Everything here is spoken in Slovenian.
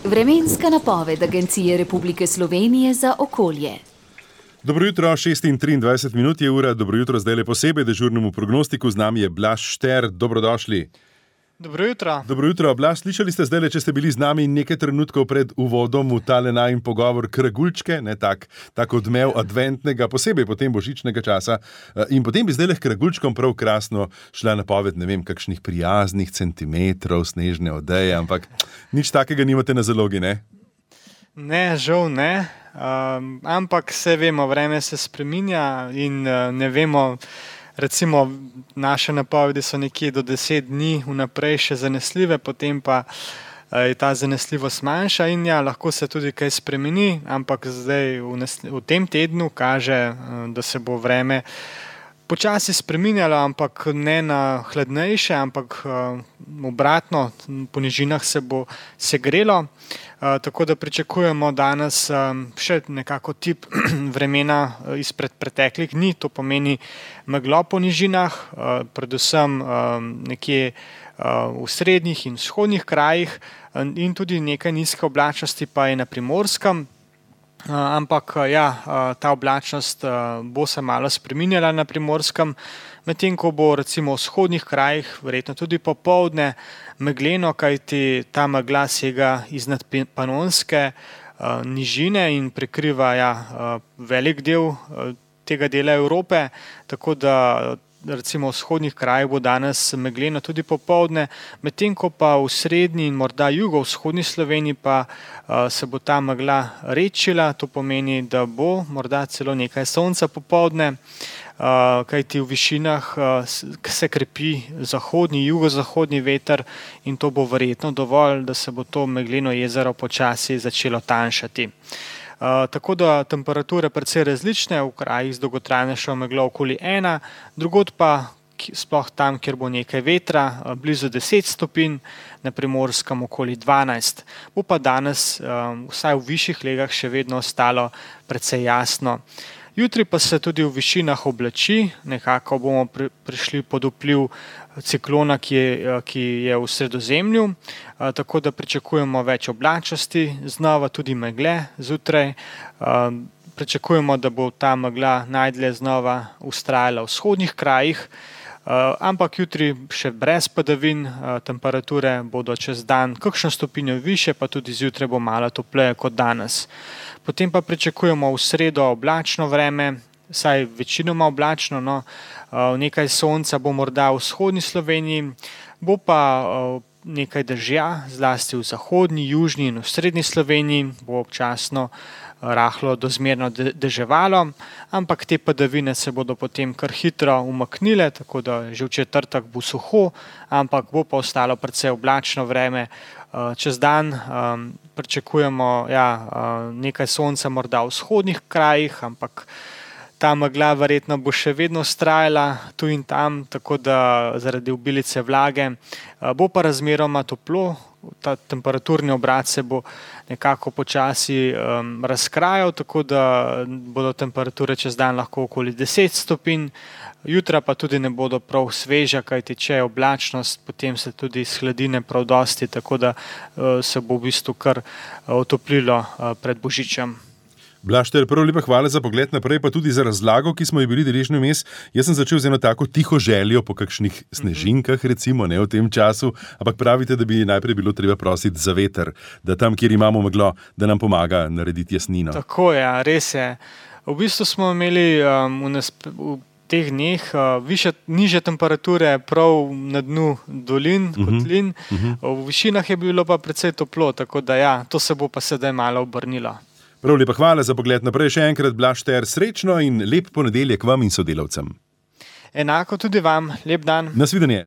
Vremenska napoved Agencije Republike Slovenije za okolje. Dobro jutro, 6:23 je ura, dobro jutro zdaj le posebej dežurnemu prognostiku, z nami je Blaž Šter, dobrodošli. Dobro jutro. Dobro jutro, Blaž, slišali ste zdaj le, če ste bili z nami nekaj trenutkov pred uvodom v tale najin pogovor kragulčke, ne tak odmev adventnega, posebej potem božičnega časa. In potem bi zdaj le kragulčkom prav krasno šla napoved, ne vem, kakšnih prijaznih centimetrov snežne odeje, ampak nič takega nimate na zalogi, ne? Ne, žal ne, ampak se vemo, vreme se spreminja in ne vemo, recimo naše napovedi so nekje do 10 dni vnaprej še zanesljive, potem pa je ta zanesljivost manjša in ja, lahko se tudi kaj spremeni, ampak zdaj v tem tednu kaže, da se bo vreme počasi spreminjalo, ampak ne na hladnejše, ampak obratno, po nižinah se bo segrelo. Tako da pričakujemo danes še nekako tip vremena izpred preteklih dni, to pomeni meglo po nižinah, predvsem nekje v srednjih in vzhodnih krajih in tudi nekaj nizke oblačnosti pa je na Primorskem. Ampak ja, ta oblačnost bo se malo spreminjala na Primorskem, medtem ko bo recimo v vzhodnih krajih, verjetno tudi popoldne, megleno, kajti ta megla sega iznad Panonske nižine in prekriva velik del tega dela Evrope, tako da recimo v vzhodnih krajih bo danes megleno tudi popoldne, medtem ko pa v srednji in morda jugovzhodni Sloveniji pa se bo ta megla redčila, to pomeni, da bo morda celo nekaj sonca popoldne, kajti v višinah se krepi zahodni, jugozahodni veter in to bo verjetno dovolj, da se bo to megleno jezero počasi začelo tanjšati. Tako da temperature precej različne, v krajih z dolgotrajnejšo meglo okoli 1, drugod pa sploh tam, kjer bo nekaj vetra, blizu 10 stopinj, na Primorskem okoli 12. Bo pa danes vsaj v višjih legah še vedno ostalo precej jasno. Jutri pa se tudi v višinah oblači, nekako bomo prišli pod vpliv ciklona, ki je v Sredozemlju, tako da pričakujemo več oblačnosti, znova tudi megle zjutraj. Pričakujemo, da bo ta megla najdlje znova vztrajala v vzhodnih krajih, ampak jutri še brez padavin, temperature bodo čez dan kakšno stopinjo više, pa tudi zjutraj bo malo topleje kot danes. Potem pa pričakujemo v sredo oblačno vreme, saj večinoma oblačno, nekaj sonca bo morda v vzhodni Sloveniji, bo pa nekaj dežja, zlasti v zahodni, južni in v srednji Sloveniji, bo občasno rahlo do zmerno deževalo, ampak te padavine se bodo potem kar hitro umaknile, tako da že v četrtek bo suho, ampak bo pa ostalo precej oblačno vreme. Čez dan pričakujemo nekaj sonca morda v vzhodnih krajih, ampak ta megla verjetno bo še vedno vztrajala tu in tam, tako da zaradi obilice vlage bo pa razmeroma toplo, ta temperaturni obrat se bo nekako počasi razkrajal, tako da bodo temperature čez dan lahko okoli 10 stopinj, jutra pa tudi ne bodo prav sveža, kajti če je oblačnost, potem se tudi shladine prav dosti, tako da se bo v bistvu kar otoplilo pred Božičem. Blaž Šter, prav lepa hvala za pogled naprej, pa tudi za razlago, ki smo ji bili deležni vmes. Jaz sem začel z eno tako tiho željo po kakšnih snežinkah, recimo, ne v tem času, ampak pravite, da bi najprej bilo treba prositi za veter, da tam, kjer imamo meglo, da nam pomaga narediti jasnino. Tako je, res je. V bistvu smo imeli v teh dneh nižje temperature prav na dnu dolin, kotlin, v višinah je bilo pa precej toplo, tako da ja, to se bo pa sedaj malo obrnilo. Prav lepa hvala za pogled naprej, še enkrat Blaž Šter, srečno in lep ponedeljek vam in sodelavcem. Enako tudi vam, lep dan. Nasvidenje.